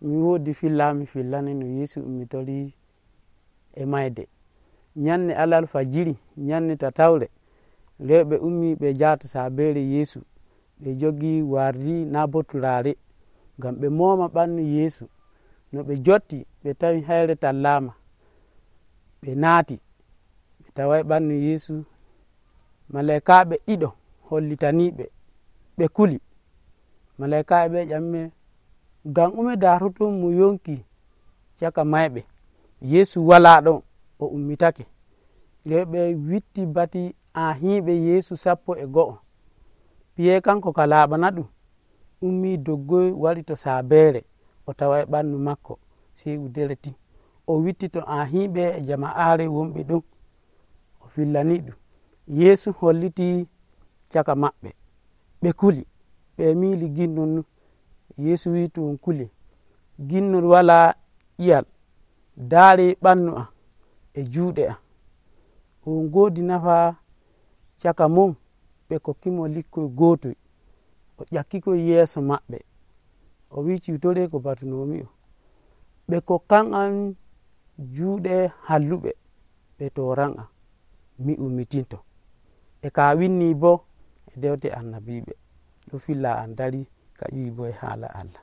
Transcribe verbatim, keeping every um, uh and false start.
mi woodi filla mi fillani no Yeesu ummitori e mayde. Nyande alal fajiri, nyande tatawre, rewɓe ummi ɓe njahata sabere Yeesu, ɓe jogi wardi naa bo turare ngam ɓe mooma ɓandu Yeesu. No ɓe jotti ɓe tawi hayre tallama, ɓe naati ɓe tawai ɓandu Yeesu. Malaikaɓe ɗiɗo hollitaniɓe, ɓe kuli. Malaikaɓe ɓe ƴamime ngam ume daroton mo yonki caka mayɓe, Yeesu wala ɗon, o ummitake. Rewɓe witti bati ahiiɓe Yeesu sappo e go'o. Piye kanko ka laaɓana ɗum ummi doggoy wari to sabere, o tawai ɓandu makko, sei wudere tin. O witti to ahiiɓe e jama'are wonɓe ɗon, o fillani ɗum. Yeesu holliti caka maɓɓe, ɓe kuli, ɓe miili ginnol nun. Yeesu wi to on kuli, ginnol wala ƴiyal, daare ɓandu am e juuɗe am. On ngoodi nafa caka mon ɓe kokkimo likkoy gootoy, o ƴakkikoy yeeso maɓɓe, o wi ciwtore ko batunomi on. Ɓe kokkan am juuɗe halluɓe, ɓe toran am, mi ummitinto. E ka winni bo e dewte annabiɓe. Ɗo filla am dari ka ƴiwi bo e haala Allah.